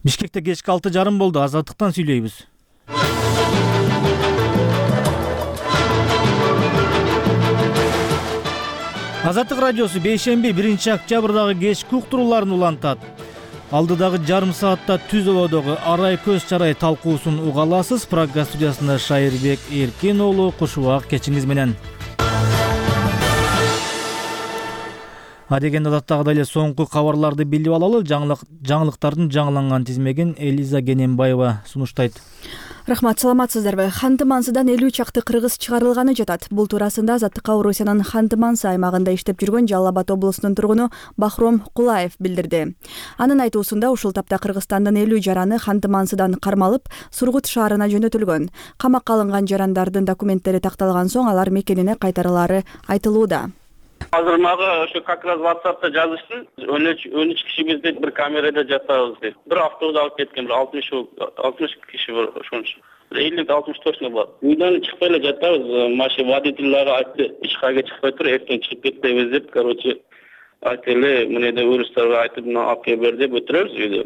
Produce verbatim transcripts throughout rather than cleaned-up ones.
Бишкекте кечки алты жарым болду. Азаттыктан сүйлөйбүз. Азаттык радиосу бейшемби биринчи октябрдагы кечки уктурууларын улантат. Алдыдагы жарым саатта түз ободогу арай көз чарай талкуусун уга аласыз. Программа студиясында Шайырбек Эркин уулу, куш убак кечиңиз менен. Адеген адаттагыдай эле соңку кабарларды билип алалы. Жаңылыктардын жаңыланган тизмегин Элиза Гененбаева сунуштайт. Рахмат, саламатсыздарбы? Ханты-Мансыдан элүү чакты кыргыз чыгарылганы жатат. Бул туурасында Азаттыкка Орусиянын Ханты-Мансы аймагында иштеп жүргөн Жалал Абад облусунун тургуну Бахром Кулаев билдирди. Анын айтуусунда ушул тапта Кыргызстандын элүү жараны Ханты-Мансыдан кармалып, Сургут шаарына жөнөтүлгөн. Камакка алынган жарандардын документтери такталган соң алар мекенине кайтарылары айтылууда. Азыр мага ошо как раз WhatsApp'та жазышты. он үч кишибиз дейт, бир камерада жатабыз дейт. Бир автобус алып кеткен, бир алтымыш алтымыш киши бар ошончо. элүү алтымыш точно бар. Үйдөн чыкпай эле жатабыз. Машина водительдери айтты, эч кайга чыкпай тур, эртең чыгып кетебиз деп, короче, айтылы, мындай урустарга айтып, алып кел бер деп өтүрөбүз үйдө.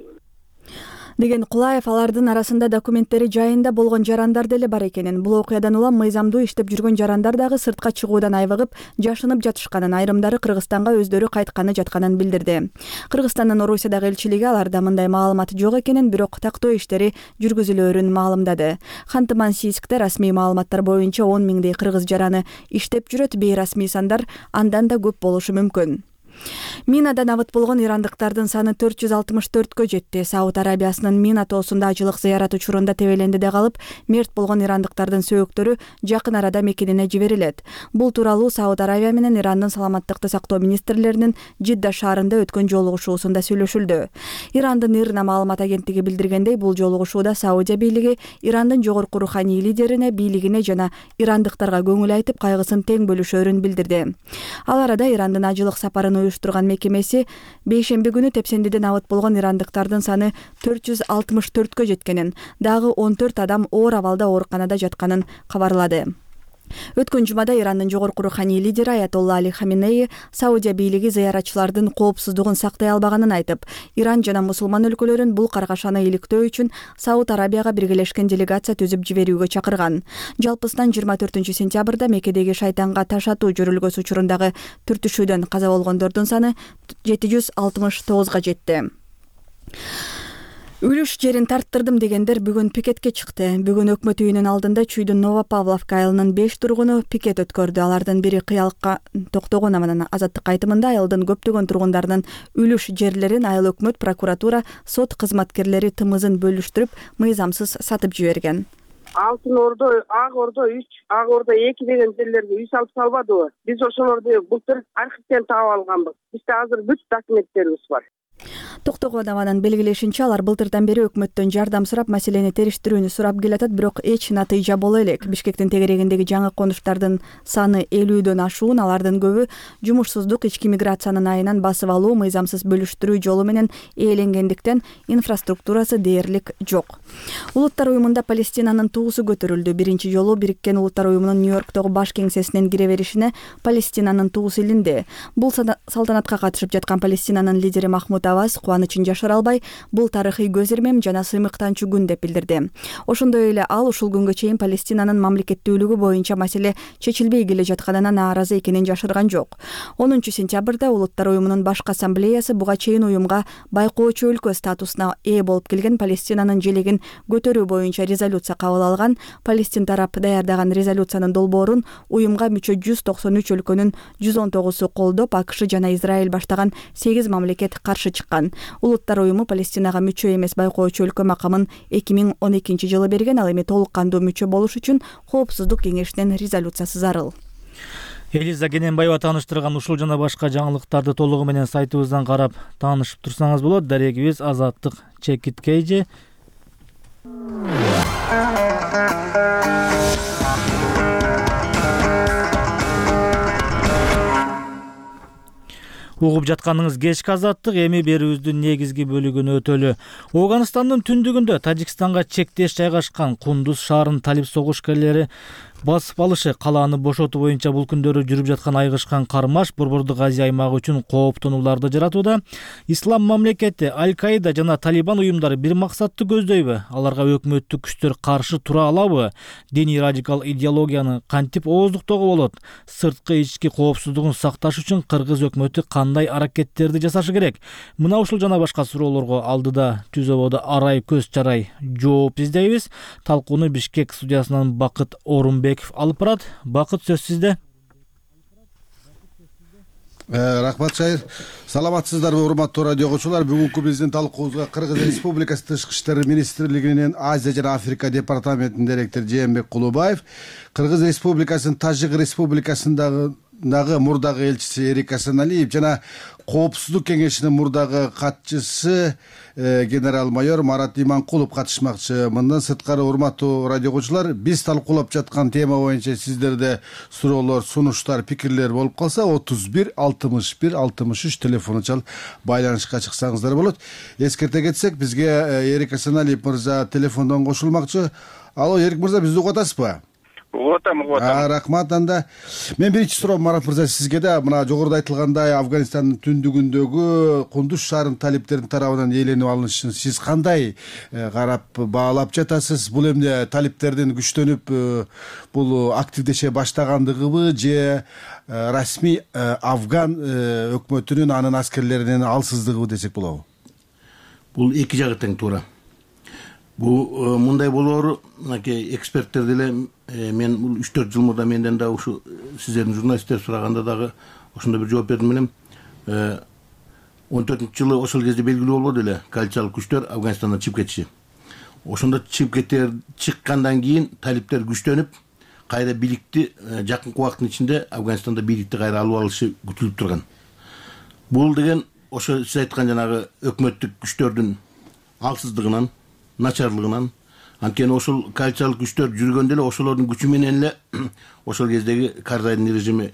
Деген Кулаев алардын арасында документтери жайында болгон жарандар деле бар экенин, бул окуядан улам мыйзамдуу иштеп жүргөн жарандар дагы сыртка чыгуудан айбыгып, жашынып жатышканын, айрымдары Кыргызстанга өздөрү кайтканы жатканын билдирди. Кыргызстандын Орусиядагы элчилиги аларда мындай маалымат жок экенин, бирок тактоо иштери жүргүзүлөөрүн маалымдады. Ханты-Мансийскте расмий маалыматтар боюнча он миңдей кыргыз жараны иштеп жүрөт, бейрасмий сандар андан да көп болушу мүмкүн. Минадан абыт болгон ирандыктардын саны төрт жүз алтымыш төрткө жетти. Сауд Арабиясынын Мина тоосунда ажылык зыярат учурунда тебелендиде калып, мерт болгон ирандыктардын сөөктөрү жакын арада мекенине жиберилет. Бул тууралуу Сауд Арабия менен Ирандын саламаттыкты сактоо министрлеринин Жидда шаарында өткөн жолугушуусунда сүйлөшүлдү. Ирандын Ирна маалымат агенттиги билдиргендей, бул жолугушууда Саудия бийлиги Ирандын жогорку руханий лидерине, бийлигине жана ирандыктарга көңүл айтып, кайгысын тең бөлүшөөрүн билдирди. Ал арада Ирандын ажылык сапарын уюштурган мекемеси бейшемби күнү тепсендиден абыт болгон ирандыктардын саны төрт жүз алтымыш төрткө жеткенин, дагы он төрт адам оор абалда ооруканада жатканын кабарлады. Өткөн жумада Ирандын жогорку руханий лидери Аятолла Али Хаминеи Саудия бийлиги зыяратчылардын коопсуздугун сактай албаганын айтып, Иран жана мусулман өлкөлөрүн бул каргашаны иликтөө үчүн Сауд Арабияга биргелешкен делегация түзүп жиберүүгө чакырган. Жалпысынан жыйырма төртүнчү сентябрда Меккедеги шайтанга таш атуу жүрүлгөсү учурундагы түртүшүүдөн каза болгондордун саны жети жүз алтымыш тогузга жетти. Үлүш жерин тарттырдым дегендер бүгүн пикетке чыкты. Бүгүн өкмөт үйүнүн алдында Чүйдүн Новопавловка айылынын беш тургуну пикет өткөрдү. Алардын бири кыялыкка токтогон аманан Азаттык айтымында айылдын көптөгөн тургундарынын үлүш жерлерин айыл өкмөт, прокуратура, сот кызматкерлери тымызын бөлүштүрүп, мыйзамсыз сатып жиберген. Алтын Ордо, Ак Ордо үч, Ак Ордо эки деген жерлерге үй салып салбадыбы? Биз ошолорду былтыр архивден таап алганбыз. Бизде азыр бүт документтерибиз бар. Токтогон абанын белгилешинче, алар былтырдан бери өкмөттөн жардам сурап, маселени териштирүүнү сурап келатат, бирок эч натыйжа боло элек. Бишкектин тегерегиндеги жаңы конуштардын саны элүүдөн ашуун, алардын көбү жумушсуздук, ички миграциянын айынан басып алуу, мыйзамсыз бөлүштүрүү жолу менен ээленгендиктен инфраструктурасы дээрлик жок. Улуттар уюмунда Палестинанын туусу көтөрүлдү. Биринчи жолу Бириккен Улуттар уюмунун Нью-Йорктогу баш кеңсесинен кире беришине Палестинанын туусу илинди. Бул салтанатка катышып жаткан Палестинанын лидери Махмуд Аббас кубанычын жашыра албай, бул тарыхый көз ирмем жана сыймыктанчу күн деп билдирди. Ошондой эле ал ушул күнгө чейин Палестинанын мамлекеттүүлүгү боюнча маселе чечилбей келе жатканына нааразы экенин жашырган жок. онунчу сентябрда Улуттар уюмунун башкы ассамблеясы буга чейин уюмга байкоочу өлкө статусуна ээ болуп келген Палестинанын желегин көтөрүү боюнча резолюция кабыл алган. Палестин тарап даярдаган резолюциянын долбоорун уюмга мүчө жүз токсон үч өлкөнүн жүз он тогузу колдоп, АКШ жана Израиль баштаган сегиз мамлекет каршы чыккан. Улуттар уюму Палестинага мүчө эмес байкоочу өлкө макамын эки миң он экинчи жылы берген, ал эми толук кандуу мүчө болуш үчүн Коопсуздук кеңешинин резолюциясы зарыл. Элиза Гененбаева тааныштырган ушул жана башка жаңылыктарды толугу менен сайтыбыздан карап таанышып турсаңыз болот. Дарегибиз Азаттык чекит кейже. Угуп жатканыңыз кечки Азаттык, эми берүүбүздүн негизги бөлүгүн өтөлү. Ооганстандын түндүгүндө Тажикстанга чектеш жайгашкан Кундуз шаарынын талип согушкерлери Басып алышы калааны бошотуу боюнча бул күндөрү жүрүп жаткан айгышкан кармаш Борбордук Азия аймагы үчүн кооптонууларды жаратууда. Ислам мамлекети, Аль-Каида жана Талибан уюмдары бир максатты көздөйбү? Аларга өкмөттүк күчтөр каршы тура алабы? Диний радикал идеологияны кантип ооздуктоого болот? Сырткы ички коопсуздугун сакташ үчүн кыргыз өкмөтү кандай аракеттерди жасашы керек? Мына ушул жана башка суроолорго алдыда түз ободо арай көз чарай жооп издейбиз. Талкууну Бишкек студиясынан Бакыт Орунбеков алып барат. Бакыт, сөз сизде. Рахмат, Шайыр. Саламатсыздарбы, урматтуу радио окуучулар? Бүгүнкү биздин талкуубузга Кыргыз Республикасы Тышкы иштер министрлигинин Азия жана Африка департаментинин директору Жээнбек Кулубаев, Кыргыз Республикасынын Тажик Республикасындагы мурдагы элчиси Эрик Асаналиев жана Коопсуздук кеңешинин мурдагы катчысы генерал-майор Марат Иманкулов катышмакчы. Мындан сырткары, урматтуу радио окуучулар, биз талкуулап жаткан тема боюнча сиздерде суроолор, сунуштар, пикирлер болуп калса, отуз бир алтымыш бир алтымыш үч телефону чалып байланышка чыксаңыздар болот. Эскерте кетсек, бизге Эрик Асаналиев мырза телефондон кошулмакчы. Алло, Эрик мырза, бизди угуп атасызбы? Угуп атам, угуп атам. Рахмат. Анда мен биринчи суроом, Марат мырза, сизге да мына жогоруда айтылгандай Афганистандын түндүгүндөгү Кундуз шаарынын талиптердин тарабынан ээленип алынышын сиз кандай карап баалап жатасыз? Бул эмне талиптердин күчтөнүп бул активдеше баштагандыгыбы же расмий Афган өкмөтүнүн анын аскерлеринин алсыздыгыбы десек болобу? Бул эки жагы тең туура. Бул мындай болоору, мынакей эксперттер деле мен бул үч төрт жыл мурда менден да ушу сиздердин журналисттер сураганда дагы ошондой бир жооп бердим элем. он төртүнчү жылы ошол кезде белгилүү болбоду эле коалициялык күчтөр Афганистандан чыгып кетиши. Ошондо чыгып кетер чыккандан кийин талиптер күчтөнүп, кайра бийликти жакынкы убакыттын ичинде Афганистанда бийликти кайра алып алышы күтүлүп турган. Бул деген ошо сиз айткан жанагы өкмөттүк күчтөрдүн алсыздыгынан, начарлыгынан, анткени ошол коалициялык күчтөр жүргөндө эле ошолордун күчү менен эле ошол кездеги Карзайдын режими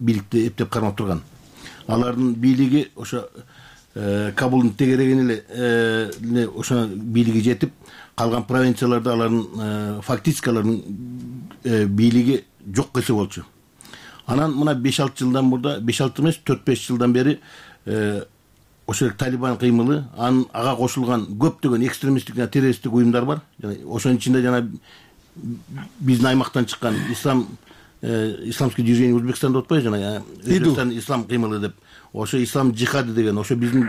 бийликти эптеп кармап турган. Алардын бийлиги ошо Кабулдун тегерегине эле ошо бийлиги жетип, калган провинцияларда алардын фактически алардын бийлиги жок кылса болчу. Анан мына беш алты жылдан мурда, беш алты эмес, төрт беш жылдан бери ошол Талибан кыймылы, анын ага кошулган көптөгөн экстремисттик жана террористтик уюмдар бар. Ошонун ичинде жана биздин аймактан чыккан ислам исламский движение Узбекстан деп атпайбы, жана Өзбекстан ислам кыймылы деп. Ошо ислам жихады деген, ошо биздин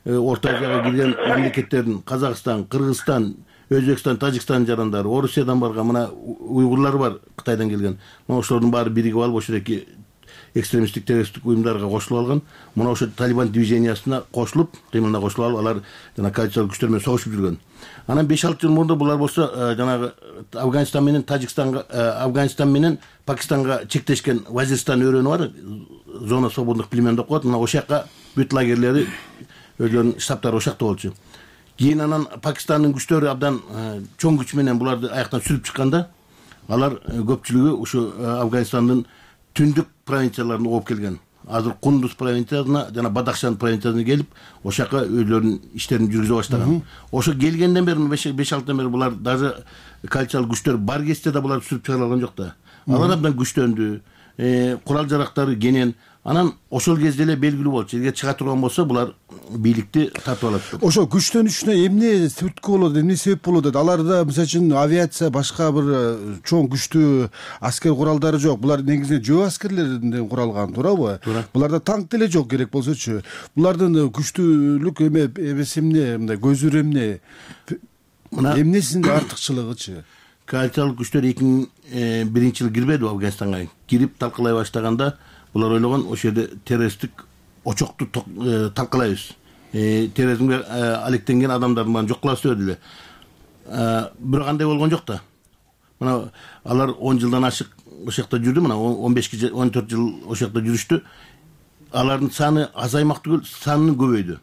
Орто Азияга кирген мамлекеттердин Казакстан, Кыргызстан, Өзбекстан, Тажикстан жарандары, Орусиядан барган мына уйгурлар бар, Кытайдан келген. Мына ошолордун баары биригип алып ошондой экстремисттик террористтик уюмдарга кошулуп алган. Мына ошо Талибан движениясына кошулуп, кыймылына кошулуп алып, алар жана коалициялык күчтөр менен согушуп жүргөн. Анан беш алты жыл мурда булар болсо жанагы Афганистан менен Тажикстанга, Афганистан менен Пакистанга чектешкен Вазиристан өрөөнү бар, зона свободных племен деп коет. Мына ошол жака бүт лагерлери, өзлөрүнүн штабтары ошол жакта болчу. Кийин анан Пакистандын күчтөрү абдан чоң күч менен буларды аяктан сүрүп чыкканда, алар көпчүлүгү ушу Афганистандын түндүк провинцияларына ооп келген. Азыр Кундуз провинциясына жана Бадахшан провинциясына келип, ошол жака өздөрүнүн иштерин жүргүзө баштаган. Ошо келгенден бери беш алтыдан бери булар даже коалициялык күчтөр бар кезде да булар сүрүп чыгара алган жок да. Алар абдан күчтөндү, курал жарактары кенен. Анан ошол кезде эле белгилүү болчу. Эгер чыга турган болсо, булар бийликти тартып алат. Ошо күчтөнүшүнө эмне түрткү болот, эмне себеп болот дейт? Аларда мисалы үчүн авиация, башка бир чоң күчтүү аскер куралдары жок. Булар негизинен жөө аскерлеринен куралган, туурабы? Буларда танк деле жок керек болсочу. Булардын күчтүүлүк эме эмеси эмне, мындай көзүрү эмне? Эмнесинде артыкчылыгычы? Коалициялык күчтөр эки миң биринчи жылы кирбеди Афганистанга. Кирип талкалай баштаганда булар ойлогон ошол жерде террористтик очокту талкалайбыз. Терроризмге алектенген адамдардын баарын жок кылабыз деп эле. Бирок андай болгон жок да. Мына алар он жылдан ашык ошол жакта жүрдү, мына он беш он төрт жыл ошол жакта жүрүштү. Алардын саны азаймак түгүл, саны көбөйдү.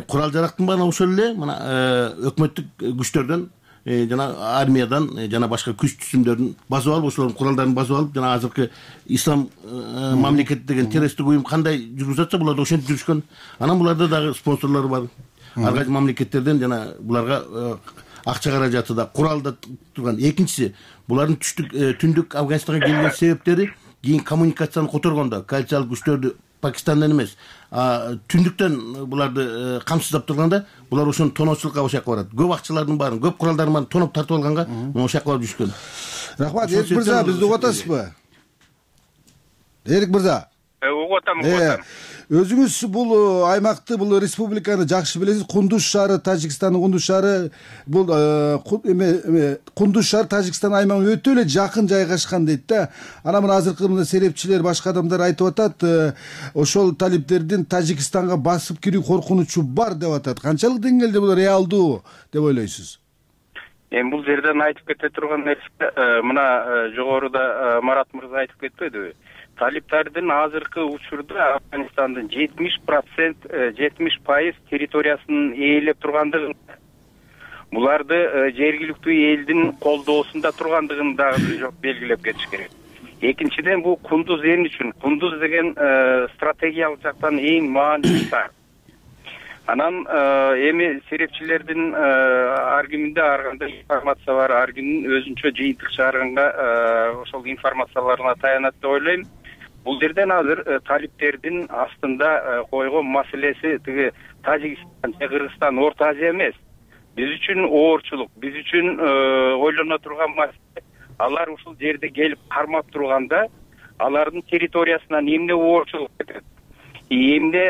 Курал жарактын баары ошол эле, мына өкмөттүк күчтөрдөн жана армиядан жана башка күч түзүмдөрдүн басып алып, ошолордун куралдарын басып алып, жана азыркы ислам мамлекети деген террористтик уюм кандай жүргүзүп атса, булар да ошентип жүрүшкөн. Анан буларда дагы спонсорлор бар. Ар кайсы мамлекеттерден жана буларга акча каражаты да, курал да турган. Экинчиси, булардын түштүк түндүк Афганистанга келген себептери кийин коммуникацияны которгондо коалициялык күчтөрдү Пакистандан эмес, түндүктөн буларды камсыздап турганда, булар ошону тоноочулукка ошол барат. Көп акчалардын баарын, көп куралдардын баарын тоноп тартып алганга ошол барып düşкөн. Рахмат, Эрик мырза, бизди угуп атасызбы? Эрик мырза. Угуп атам, угуп атам. Өзүңүз бул аймакты, бул республиканы жакшы билесиз. Кундуз шаары, Тажикстандын Кундуз шаары, бул эме Кундуз шаары Тажикстан аймагына өтө эле жакын жайгашкан дейт да. Анан мына азыркы мына серепчилер, башка адамдар айтып атат, ошол талиптердин Тажикстанга басып кирүү коркунучу бар деп атат. Канчалык деңгээлде бул реалдуу деп ойлойсуз? Эми бул жерден айтып кете турган нерсе, мына жогоруда Марат мырза айтып кетпедиби? Талиптардын азыркы учурда Афганистандын жетимиш процент жетимиш пайыз территориясын ээлеп тургандыгын, буларды жергиликтүү элдин колдоосунда тургандыгын дагы белгилеп кетиш керек. Экинчиден, бул Кундуз эмне үчүн? Кундуз деген стратегиялык жактан эң маанилүү шаар. Анан эми серепчилердин ар киминде ар кандай информация бар, ар кимдин өзүнчө жыйынтык чыгарганга ошол информацияларына таянат деп ойлойм. Бул жерден азыр талиптердин астында койгон маселеси тиги Тажикстан, Кыргызстан, Орто Азия эмес. Биз үчүн оорчулук, биз үчүн ойлоно турган маселе, алар ушул жерде келип кармап турганда, алардын территориясынан эмне оорчулук кетет, эмне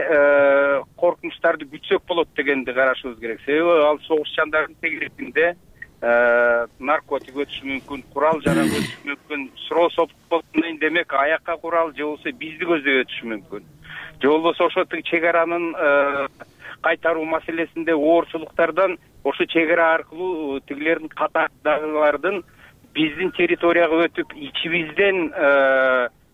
коркунучтарды күтсөк болот дегенди карашыбыз керек. Себеби ал согушчандардын тегерегинде наркотик өтүшү мүмкүн, курал жарак өтүшү мүмкүн, суроо сопкон демек аякка курал же болбосо бизди көздөй өтүшү мүмкүн. Же болбосо ошо чек аранын кайтаруу маселесинде оорчулуктардан ошо чек ара аркылуу тигилердин катардагылардын биздин территорияга өтүп ичибизден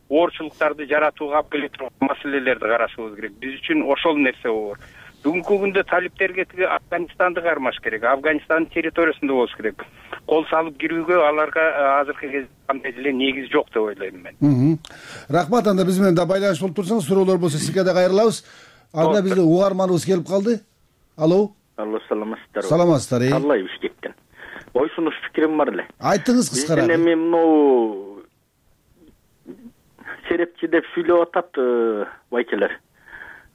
оорчулуктарды жаратууга алып келе турган маселелерди карашыбыз керек. Биз үчүн ошол нерсе оор. Бүгүнкү күндө талиптерге тиги Афганистанды кармаш керек, Афганистандын территориясында болуш керек. Кол салып кирүүгө аларга азыркы кезде кандай деле негиз жок деп ойлойм мен. Рахмат, анда биз менен да байланыш болуп турсаңыз, суроолор болсо сизге да кайрылабыз. Анда бизде угарманыбыз келип калды. Алло. Алло, саламатсыздарбы? Саламатсыздар. Калай Бишкектен. Ой, сунуш пикирим бар эле. Айтыңыз кыскара. Биздин эми мынау серепчи деп сүйлөп атат байкелер.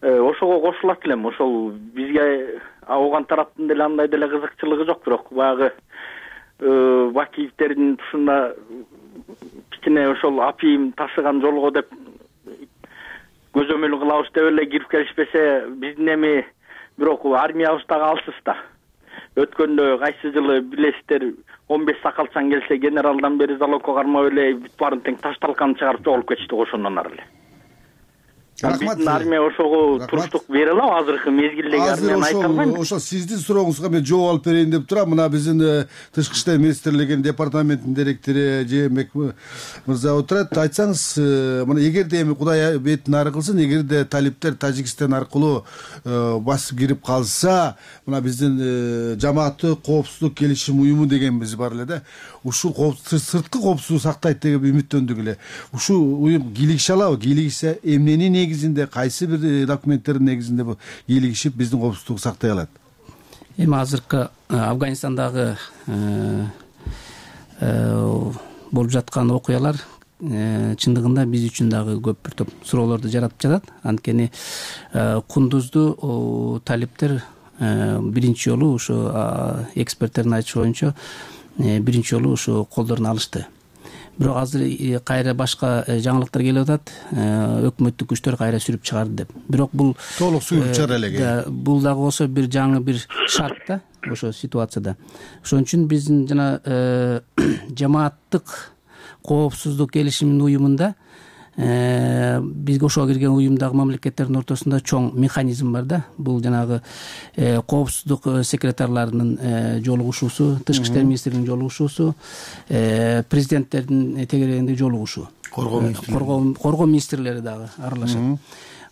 Ошого кошулат элем. Ошол бизге ауган тараптын деле андай деле кызыкчылыгы жок, бирок баягы Бакиевтердин тушунда кичине ошол апийим ташыган жолго деп көзөмөл кылабыз деп эле кирип келишпесе, биздин эми бирок армиябыз дагы алсыз да. Өткөндө кайсы жылы билесиздер, он беш сакалчан келсе, генералдан бери залогко кармап эле бүт баарын тең таш талканы чыгарып жоголуп кетишти ошондон ары эле. Рахмат. Биздин армия ошого туруштук бере алабы азыркы мезгилдеги армияны айта албайм. Ошол сиздин сурооңузга мен жооп алып берейин деп турам. Мына биздин Тышкы иштер министрлигинин департаментинин директору Жээнбек мырза отурат. Айтсаңыз, мына эгерде эми Кудай бетин ары кылсын, эгерде талиптер Тажикстан аркылуу басып кирип калса, мына биздин жамааттык коопсуздук келишим уюму дегенбиз бар эле да. Ушул сырткы коопсуздукту сактайт деп үмүттөндүк эле. Ушул уюм кийлигише алабы? Кийлигише эмненин негизинде, кайсы бир документтердин негизинде бу кийлигишип биздин коопсуздукту сактай алат? Эми азыркы Афганистандагы болуп жаткан окуялар чындыгында биз үчүн дагы көп бир топ суроолорду жаратып жатат. Анткени Кундузду талиптер биринчи жолу ушу эксперттердин айтышы боюнча биринчи жолу ушу колдоруна алышты. Бирок азыр кайра башка жаңылыктар келип атат. Өкмөттүк күчтөр кайра сүрүп чыгарды деп. Бирок бул толук сүрүп чыгара элек. Бул дагы болсо бир жаңы бир шарт да ошо ситуацияда. Ошон үчүн биздин жана жамааттык коопсуздук келишиминин уюмунда бизге ошого кирген уюмдагы мамлекеттердин ортосунда чоң механизм бар да. Бул жанагы коопсуздук секретарларынын жолугушуусу, Тышкы иштер министринин жолугушуусу, президенттердин тегерегинде жолугушуу, коргоо министрлери дагы аралашат.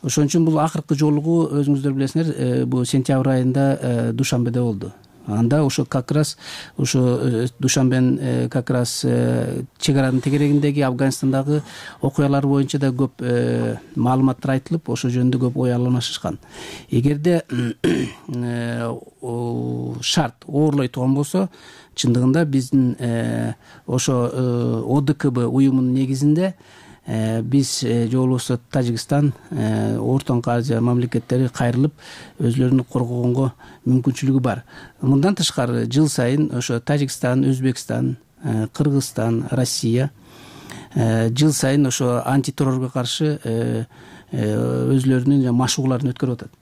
Ошон үчүн бул акыркы жолугуу өзүңүздөр билесиңер, бул сентябрь айында Душанбеде болду. анда ошо как раз ошо Душанбенин как раз чек аранын тегерегиндеги Афганистандагы окуялар боюнча да көп маалыматтар айтылып, ошо жөнүндө көп ой алмашышкан. Эгерде шарт оорлой турган болсо, чындыгында биздин ошо О Д К Б уюмунун негизинде биз же болбосо Тажикстан, Ортоңку Азия мамлекеттери кайрылып өзлөрүн коргогонго мүмкүнчүлүгү бар. Мындан тышкары жыл сайын ошо Тажикстан, Өзбекстан, Кыргызстан, Россия жыл сайын ошо антитеррорго каршы өзлөрүнүн машыгууларын өткөрүп атат.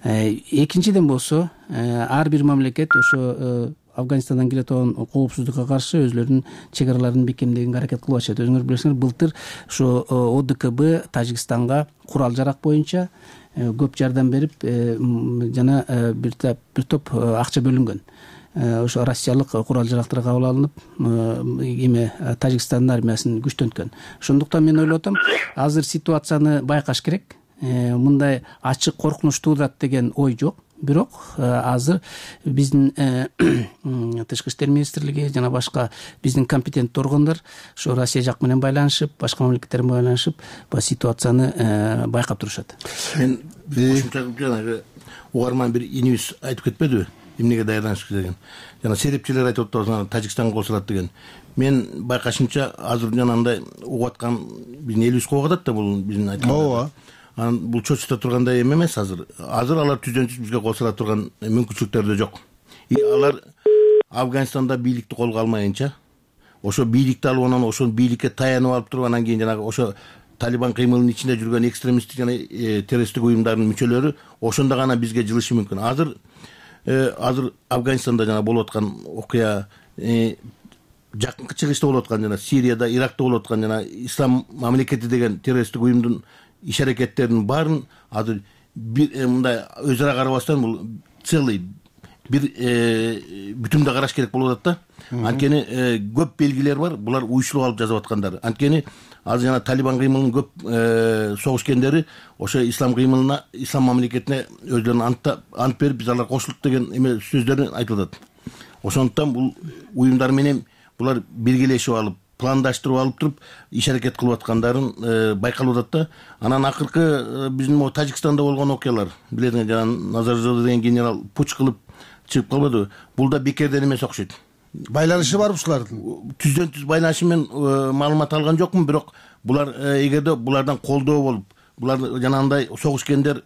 Экинчиден болсо, ар бир мамлекет ошо Афганистандан келе турган коопсуздукка каршы өзлөрүнүн чек араларын бекемдегенге аракет кылып атышат. Өзүңөр билесиңер, былтыр ошо О Д К Б Тажикстанга курал жарак боюнча көп жардам берип, жана бир бир топ акча бөлүнгөн. Ошо россиялык курал жарактар кабыл алынып, эме Тажикстандын армиясын күчтөнткөн. Ошондуктан мен ойлоп атам, азыр ситуацияны байкаш керек. Мындай ачык коркунуч туудат деген ой жок. Бирок азыр биздин тышкы иштер министрлиги жана башка биздин компетенттүү органдар ошо Россия жак менен байланышып, башка мамлекеттер менен байланышып, бул ситуацияны байкап турушат. Мен кошумча жанагы угарман бир инибиз айтып кетпедиби? Эмнеге даярданыш деген. Жана серепчилер айтып атат, Тажикстанга кошулат деген. Мен байкашымча азыр жанагындай угуп аткан биздин элибиз кооп атат да, бул биздин айткан. Ооба. Анан бул чочута тургандай эме эмес азыр. Азыр алар түздөн түз бизге кошула турган мүмкүнчүлүктөр да жок. И алар Афганистанда бийликти колго алмайынча, ошо бийликти алып анан ошол бийликке таянып алып туруп, анан кийин жанагы ошо Талибан кыймылынын ичинде жүргөн экстремисттик жана террористтик уюмдардын мүчөлөрү ошондо гана бизге жылышы мүмкүн. Азыр азыр Афганистанда жана болуп аткан окуя, жакынкы чыгышта болуп аткан, жана Сирияда, Иракта болуп аткан жана Ислам мамлекети деген террористтик уюмдун иш аракеттеринин баарын азыр бир мындай өз ара карабастан бул целый бир бүтүмдө караш керек болуп атат да. Анткени көп белгилер бар, булар уюшулуп алып жазып аткандар. Анткени азыр жана Талибан кыймылынын көп согушкендери ошо ислам кыймылына, ислам мамлекетине өздөрүнүн ант берип, биз алар кошулдук деген эме сөздөрүн айтып атат. Ошондуктан бул уюмдар менен булар биргелешип алып, пландаштырып алып туруп иш аракет кылып аткандарын байкалып атат да. Анан акыркы биздин могу Тажикстанда болгон окуялар, билесиңер, жана Назаржода деген генерал пуч кылып чыгып калбадыбы? Бул да бекерден эмес окшойт. Байланышы бар ушулардын. Түздөн түз байланышы мен маалымат алган жокмун, бирок булар эгерде булардан колдоо болуп, булар жанагындай согушкендер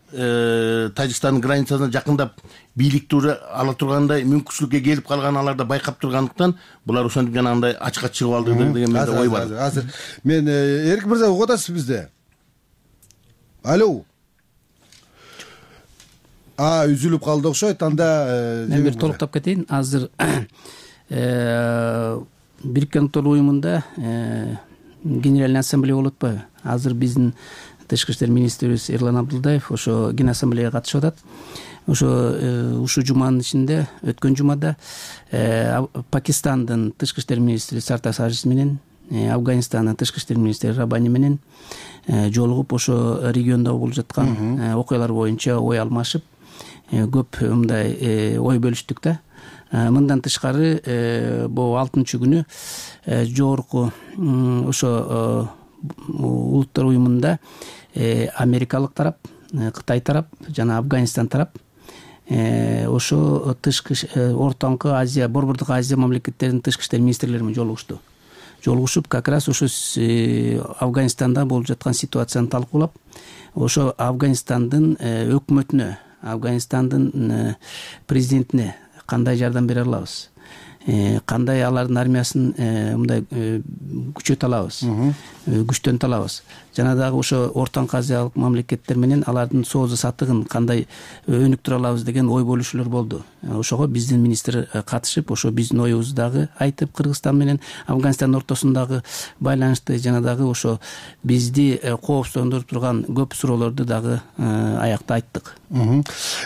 Тажикстандын границасына жакындап бийликти уже ала тургандай мүмкүнчүлүккө келип калган, аларда байкап тургандыктан булар ошентип жанагындай ачыкка чыгып алды деген менде ой бар. Азыр мен Эрик мырза угуп атасыз бизде? Алло. А, үзүлүп калды окшойт. Анда мен бир толуктап кетейин. Азыр Бириккен Улуттар уюмунда Генеральный ассамблея болуп атпайбы? Азыр биздин тышкы иштер министрибиз Эрлан Абдулдаев ошо ген ассамблеяга катышып атат. Ошо ушул жуманын ичинде, өткөн жумада Пакистандын тышкы иштер министри Сартар Сажис менен, Афганистандын тышкы иштер министри Рабани менен жолугуп, ошо региондо болуп жаткан окуялар боюнча ой алмашып, көп мындай ой бөлүштүк да. Мындан тышкары бул алтынчы күнү жогорку ошо улуттар уюмунда америкалык тарап, Кытай тарап жана Афганистан тарап ошо тышкы Ортоңку Азия, Борбордук Азия мамлекеттеринин тышкы иштер министрлери менен жолугушту. Жолугушуп, как раз ошо Афганистанда болуп жаткан ситуацияны талкуулап, ошо Афганистандын өкмөтүнө, Афганистандын президентине кандай жардам бере алабыз, кандай алардын армиясын мындай күчөтө алабыз, күчтөнтө алабыз, жана дагы ошо Ортоңку Азиялык мамлекеттер менен алардын соозу сатыгын кандай өнүктүрө алабыз деген ой бөлүшүүлөр болду. Ошого биздин министр катышып, ошо биздин оюбузду дагы айтып, Кыргызстан менен Афганистандын ортосундагы байланышты жана дагы ошо бизди коопсуздандырып турган көп суроолорду дагы аякта айттык.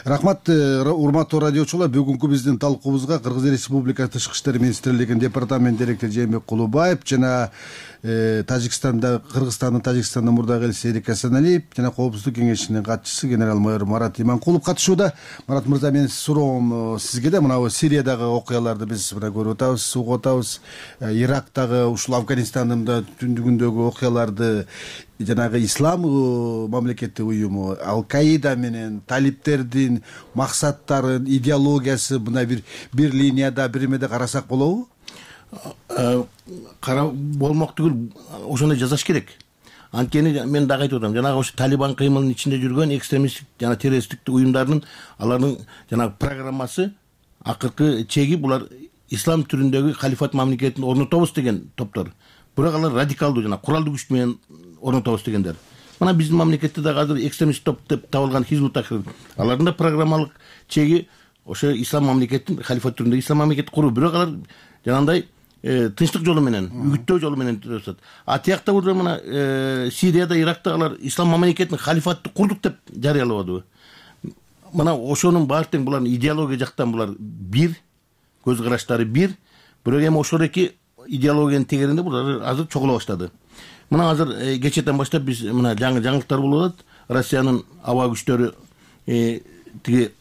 Рахмат, урматтуу радиочулар. Бүгүнкү биздин талкуубузга Кыргыз Республикасы тышкы иштер министрлигинин департамент директору Жээнбек Кулубаев жана Тажикстанда, Кыргызстандын Тажикстандын мурдагы элчиси Эрик Асаналиев жана Коопсуздук кеңешинин катчысы генерал майор Марат Иманкулов катышууда. Марат мырза, менин суроом сизге да. Мына Сириядагы окуяларды биз мына көрүп атабыз, угуп атабыз. Ирактагы, ушул Афганистандын түндүгүндөгү окуяларды жанагы ислам мамлекеттик уюму Ал-Каида менен талиптердин максаттарын, идеологиясы мына бир бир линияда, бир эмеде карасак болобу? Кара болмок түгүл, ошондой жасаш керек. Анткени мен дагы айтып атам, жанагы ошо Талибан кыймылынын ичинде жүргөн экстремисттик жана террористтик уюмдардын алардын жанагы программасы акыркы чеги булар ислам түрүндөгү халифат мамлекетин орнотобуз деген топтор. Бирок алар радикалдуу жана куралдуу күч менен орнотобуз дегендер. Мына биздин мамлекетте дагы азыр экстремист топ деп табылган Хизбут Тахрир, алардын да программалык чеги ошо ислам мамлекетин халифат түрүндөгү ислам мамлекетти куруу. Бирок алар жанагындай тынчтык жолу менен, үгүттөө жолу менен өтөт. А тиякта burada мына Сирияда, Иракта алар ислам мамлекетин халифатты курдук деп жарыялабадыбы? Мына ошонун баары тең булардын идеология жактан булар бир, көз караштары бир. Бирок эми ошол эки идеологиянын тегеринде булар азыр чогула баштады. Мына азыр кечэтен баштап биз мына жаңы жаңылыктар болуп атат. Россиянын аба күчтөрү тиги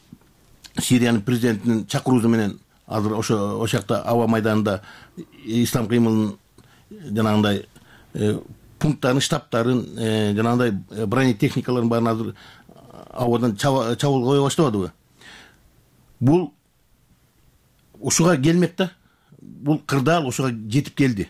Сириянын президентинин чакыруусу менен азыр ошо ошол жакта аба майданында ислам кыймылынын жанагындай пункттарын, штабтарын, жанагындай бронетехникаларын баарын азыр абадан чабуул кое баштабадыбы? Бул ушуга келмек да. Бул кырдаал ошуга жетип келди.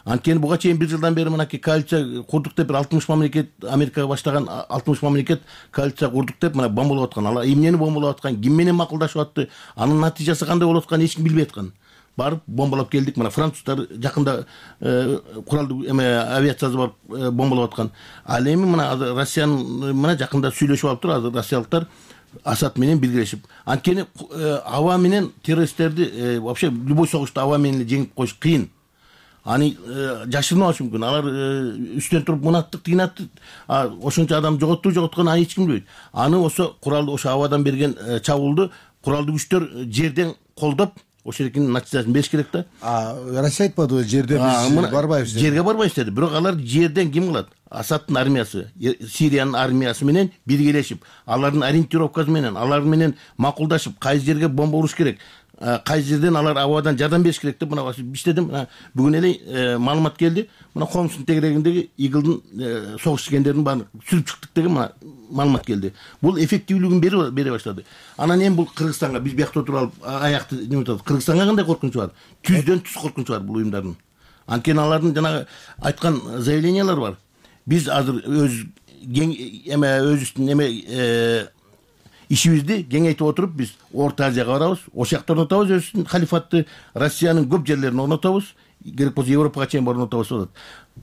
Анткени буга чейин бир жылдан бери мынакей коалиция курдук деп бир алтымыш мамлекет, Америкага баштаган алтымыш мамлекет коалиция курдук деп мына бомбалап аткан. Алар эмнени бомбалап аткан, ким менен макулдашып атты, анын натыйжасы кандай болуп атканын эч ким билбей аткан. Барып бомбалап келдик. Мына француздар жакында куралдуу эме авиациясы барып бомбалап аткан. Ал эми мына Россиянын мына жакында сүйлөшүп алыптыр азыр россиялыктар Асад менен биргелешип. Анткени аба менен террористтерди вообще любой согушта аба менен жеңип коюш кыйын. Аны жашырмаш мүмкүн. Алар үстөн туруп мунаттык тыйнатты. Ошончо адам жоготту, жоготкон аны эч ким билбейт. Аны ошо куралды ошо абадан берген чабуулду куралдуу күчтөр жерден колдоп ошонун натыйжасын бериш керек да. Россия айтпадыбы жерден биз барбайбыз деп? Жерге барбайбыз деди. Бирок алар жерден ким кылат? Асадтын армиясы, Сириянын армиясы менен биргелешип, алардын ориентировкасы менен, алар менен макулдашып, кайсы жерге бомба уруш керек, кайсы жерден алар абадан жардам бериш керек деп мына иштедим. Бүгүн эле маалымат келди. Мына Хомстун тегерегиндеги Игылдын согуш чекендерин баарын сүрүп чыктык деген мына маалымат келди. Бул эффективдүүлүгүн бере баштады. Анан эми бул Кыргызстанга биз биякта отуруп алып аякты неме атат. Кыргызстанга кандай коркунучу бар? Түздөн түз коркунучу бар бул уюмдардын. Анткени алардын жанагы айткан заявлениялары бар. Биз азыр өз эме өзүбүздүн эме ишибизди кеңейтип отуруп биз Орто Азияга барабыз, ошол жакта орнотобуз өзүбүздүн халифатты, Россиянын көп жерлерин орнотобуз, керек болсо Европага чейин орнотобуз деп атат.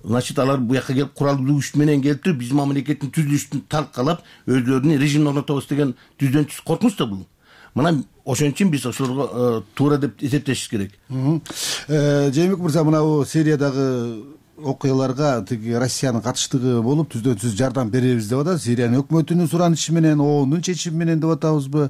Значит, алар бу жакка келип куралдуу күч менен келип туруп биздин мамлекеттин түзүлүшүн талкалап, өзлөрүнүн режимин орнотобуз деген түздөн түз коркунуч да бул. Мына ошон үчүн биз ошолорго туура деп эсептешибиз керек. Жээнбек мырза, мына бул Сириядагы окуяларга тиги Россиянын катыштыгы болуп түздөн түз жардам беребиз деп атат. Сириянын өкмөтүнүн суранычы менен, оонун чечими менен деп атабызбы?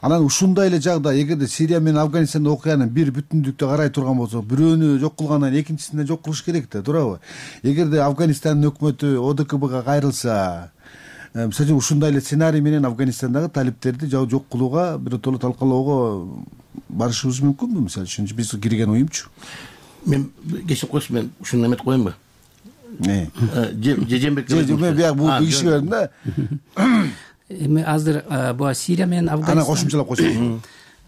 Анан ушундай эле жагда эгерде Сирия менен Афганистандын окуянын бир бүтүндүктө карай турган болсок, бирөөнү жок кылгандан экинчисине жок кылыш керек да, туурабы? Эгерде Афганистандын өкмөтү О Д К Бга кайрылса, мисалы үчүн ушундай эле сценарий менен Афганистандагы талиптерди жок кылууга, биротоло талкалоого барышыбыз мүмкүнбү? Мисалы үчүн биз кирген уюмчу. Мен кечирип коесуз, мен ушуну эметип коеюнбу? Жээнбек мен бияк бул кишиге бердим да. Эми азыр буга Сирия менен Афганистан. Ана кошумчалап койсоң.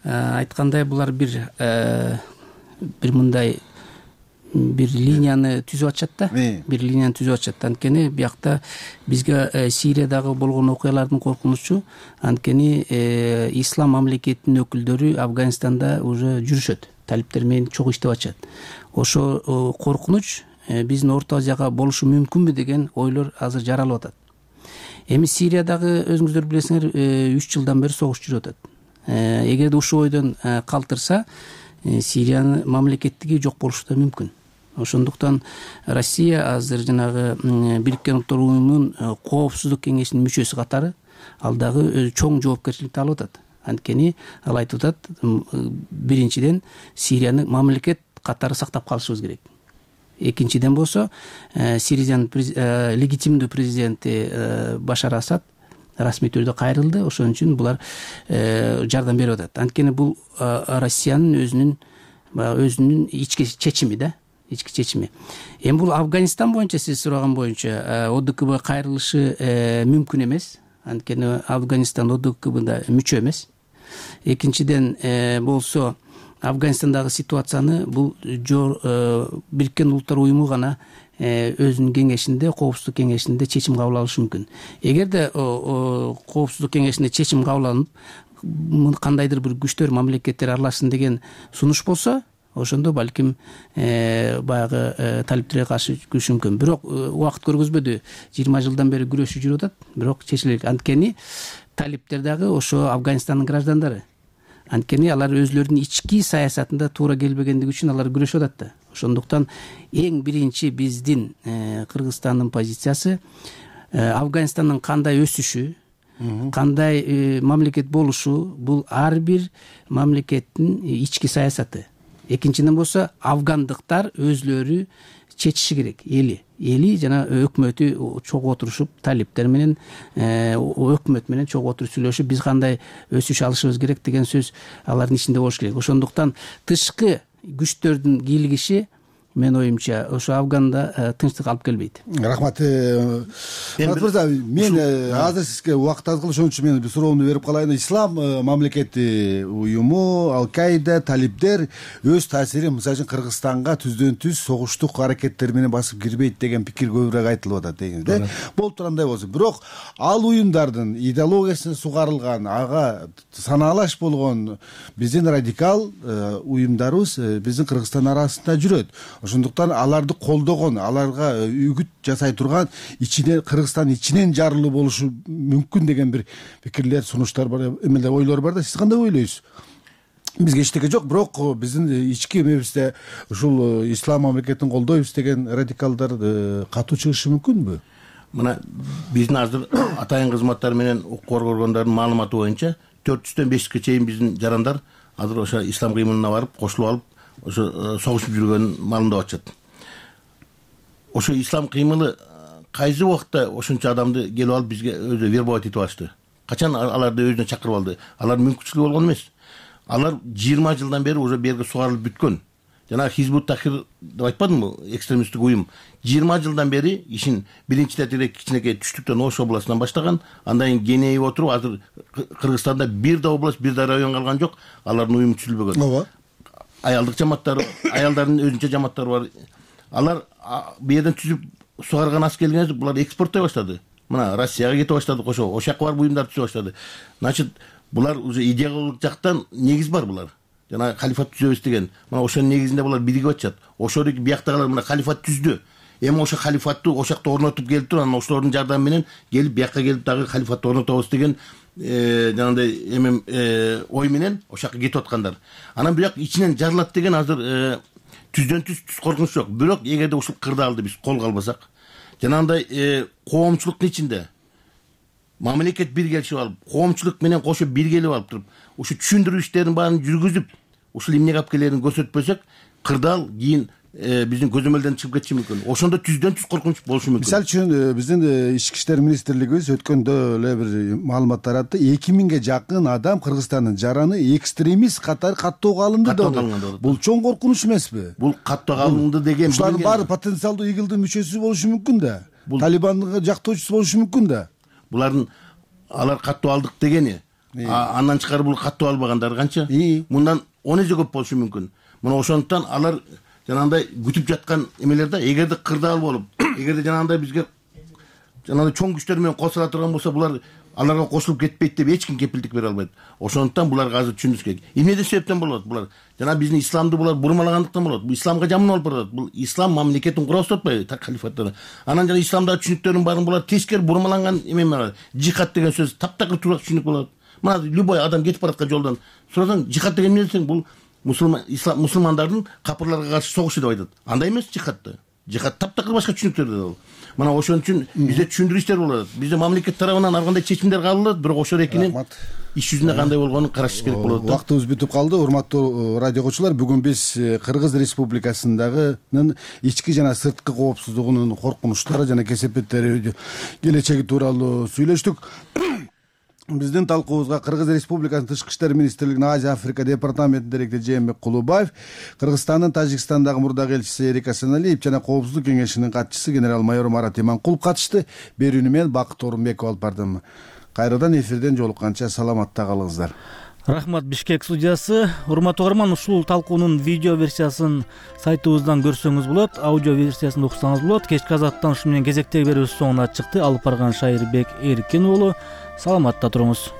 Айткандай булар бир бир мындай бир линияны түзүп атышат да. Бир линияны түзүп атышат. Анткени биякта бизге Сириядагы болгон окуялардын коркунучу, анткени ислам мамлекетинин өкүлдөрү Афганистанда уже жүрүшөт. Талиптер менен чогуу иштеп атышат. Ошо коркунуч биздин Орто Азияга болушу мүмкүнбү деген ойлор азыр жаралып атат. Эми Сириядагы өзүңүздөр билесиңер үч жылдан бери согуш жүрүп атат. Эгерде ушул ойдон калтырса, Сириянын мамлекеттиги жок болушу да мүмкүн. Ошондуктан Россия азыр жанагы Бириккен Улуттар Уюмунун Коопсуздук кеңешинин мүчөсү катары ал дагы чоң жоопкерчиликти алып атат. Анткени ал айтып атат, биринчиден Сирияны мамлекет катары сактап калышыбыз керек. Экинчиден болсо Сириянын легитимдүү президенти Башар Асад расмий түрдө кайрылды. Ошон үчүн булар жардам берип атат. Анткени бул Россиянын өзүнүн өзүнүн ички чечими да, ички чечими. Эми бул Афганистан боюнча сиз сураган боюнча О Д К Б кайрылышы мүмкүн эмес. Анткени Афганистан О Д К Бда мүчө эмес. Экинчиден болсо Афганистандагы ситуацияны бул Бириккен Улуттар Уюму гана өзүнүн кеңешинде, коопсуздук кеңешинде чечим кабыл алышы мүмкүн. Эгерде коопсуздук кеңешинде чечим кабыл алынып, кандайдыр бир күчтөр, мамлекеттер аралашсын деген сунуш болсо, ошондо балким баягы талиптерге каршы күрөшүш мүмкүн. Бирок убакыт көргөзбөдү. жыйырма жылдан бери күрөшүп жүрүп атат, бирок чечилет. Анткени талиптер дагы ошо Афганистандын граждандары. Анткени алар өзлөрүнүн ички саясатында туура келбегендиги үчүн алар күрөшүп атат да. Ошондуктан эң биринчи биздин Кыргызстандын позициясы Афганистандын кандай өсүшү, кандай мамлекет болушу, бул ар бир мамлекеттин ички саясаты. Экинчиден болсо афгандыктар өзлөрү чечиши керек, эли. Эли жана өкмөтү чогуу отурушуп, талиптер менен, өкмөт менен чогуу отуруп сүйлөшүп, биз кандай өсүш алышыбыз керек деген сөз алардын ичинде болуш керек. Ошондуктан тышкы күчтөрдүн кийлигиши мен оюмча ошо Афганда тынчтык алып келбейт. Рахмат. Мурат мырза, мен азыр сизге убакыт аз калды, ошон үчүн мен бир суроомду берип калайын. Ислам мамлекети уюму, Ал-Каида, талиптер өз таасирин мисалы үчүн Кыргызстанга түздөн түз согуштук аракеттер менен басып кирбейт деген пикир көбүрөөк айтылып атат дегенде, да? Болуп тургандай болсун. Бирок ал уюмдардын идеологиясына сугарылган, ага санаалаш болгон биздин радикал уюмдарыбыз биздин Кыргызстан арасында жүрөт. Ошондуктан аларды колдогон, аларга үгүт жасай турган ичинен Кыргызстан ичинен жарылуу болушу мүмкүн деген бир пикирлер, сунуштар бар, эмелер, ойлор бар да. Сиз кандай ойлойсуз? Бизге эчтеке жок, бирок биздин ички эмебизде ушул ислам мамлекетин колдойбуз деген радикалдар катуу чыгышы мүмкүнбү? Мына биздин азыр атайын кызматтар менен укук органдарынын маалыматы боюнча төрт жүздөн беш жүзгө чейин биздин жарандар азыр ошо ислам кыймылына барып, кошулуп алып, ошо согушуп жүргөнүн маалымдап атышат. Ошо ислам кыймылы кайсы убакта ошончо адамды келип алып бизге өзү вербовать этип алышты? Качан аларды өзүнө чакырып алды? Алар мүмкүнчүлүгү болгон эмес. Алар жыйырма жылдан бери уже берге сугарылып бүткөн. Жана Хизбут Тахрир деп айтпадымбы, экстремисттик уюм жыйырма жылдан бери ишин биринчи тетирек кичинекей түштүктөн Ош областынан баштаган, андан кийин кеңейип отуруп, азыр Кыргызстанда бир да область, бир да район калган жок, алардын уюму түзүлбөгөн. Ооба. Аялдык жаматтары, аялдардын өзүнчө жаматтары бар. Алар бу жерден түзүп сугарган ас келгенде булар экспорттой баштады. Мына Россияга кетип баштады, ошо ошол жака барып уюмдар түзө баштады. Значит, булар уже идеологиялык жактан негиз бар булар. Жана халифат түзөбүз деген. Мына ошонун негизинде булар биригип атышат. Ошолдук бияктагылар мына халифат түздү. Эми ошо халифатты ошол жакта орнотуп келип туруп, анан ошолордун жардамы менен келип бияка келип дагы халифатты орнотобуз деген жанагындай эми ой менен ошол жака кетип аткандар. Анан бирок ичинен жарылат деген азыр түздөн түз түз коркунуч жок. Бирок эгерде ушул кырдаалды биз колго албасак, жанагындай коомчулуктун ичинде мамлекет биргелешип алып, коомчулук менен кошо биргелип алып туруп, ушу түшүндүрүү иштерин баарын жүргүзүп, ушул эмнеге алып келерин көрсөтпөсөк, кырдаал кийин биздин көзөмөлдөн чыгып кетиши мүмкүн. Ошондо түздөн түз коркунуч болушу мүмкүн. Мисалы үчүн биздин ички иштер министрлигибиз өткөндө эле бир маалымат таратты. эки миңге жакын адам Кыргызстандын жараны экстремист катары каттоого алынды деп. Бул чоң коркунуч эмеспи? Бул каттоого алынды деген ушулардын баары потенциалдуу игилдин мүчөсү болушу мүмкүн да. Талибандын жактоочусу болушу мүмкүн да. Булардын алар каттоо алдык дегени, андан тышкары бул каттоо албагандар канча? Мындан он эсе көп болушу мүмкүн. Мына ошондуктан алар жанагындай күтүп жаткан эмелер да, эгерде кырдаал болуп, эгерде жанагындай бизге жанагындай чоң күчтөр менен кошула турган болсо, булар аларга кошулуп кетпейт деп эч ким кепилдик бере албайт. Ошондуктан буларга азыр түшүнүш керек. Эмнеден себептен болот булар? Жана биздин исламды булар бурмалагандыктан болот. Бул исламга жаман алып барат. Бул ислам мамлекетин кура баштатпайбы, так халифаттан. Анан жана исламдагы түшүнүктөрдүн баарын булар тескери бурмаланган эме бар. Жихад деген сөз таптакыр туура түшүнүк болот. Мына любой адам кетип бараткан жолдон сурасаң, жихад деген эмне десең, бул мусулман ислам мусулмандардын капырларга каршы согушу деп айтат. Андай эмес жихадты. Жихад таптакыр башка түшүнүктөрдө. мына ошон үчүн бизде түшүндүрүү иштер болуп атат. Бизде мамлекет тарабынан ар кандай чечимдер кабыл алынат, бирок ошол экинин иш жүзүндө кандай болгонун карашыш керек болот да. Убактыбыз бүтүп калды. Урматтуу радио окуучулар, бүгүн биз Кыргыз Республикасындагынын ички жана сырткы коопсуздугунун коркунучтары жана кесепеттери келечеги тууралуу сүйлөштүк. Биздин талкуубузга Кыргыз Республикасынын Тышкы иштер министрлигинин Азия Африка департаментинин директору Жээнбек Кулубаев, Кыргызстандын Тажикстандагы мурдагы элчиси Эрик Асаналиев жана Коопсуздук кеңешинин катчысы генерал-майор Марат Иманкулов катышты. Берүүнү мен Бакыт Орунбеков алып бардым. Кайрадан эфирден жолукканча саламатта калыңыздар. Рахмат, Бишкек студиясы. Урматтуу угарман, ушул талкуунун видео версиясын сайтыбыздан көрсөңүз болот, аудио версиясын уксаңыз болот. Кечки азаттан ушу менен кезектеги берүүбүз соңуна чыкты. Алып барган Шайырбек Эркин уулу. Саламатта туруңуз.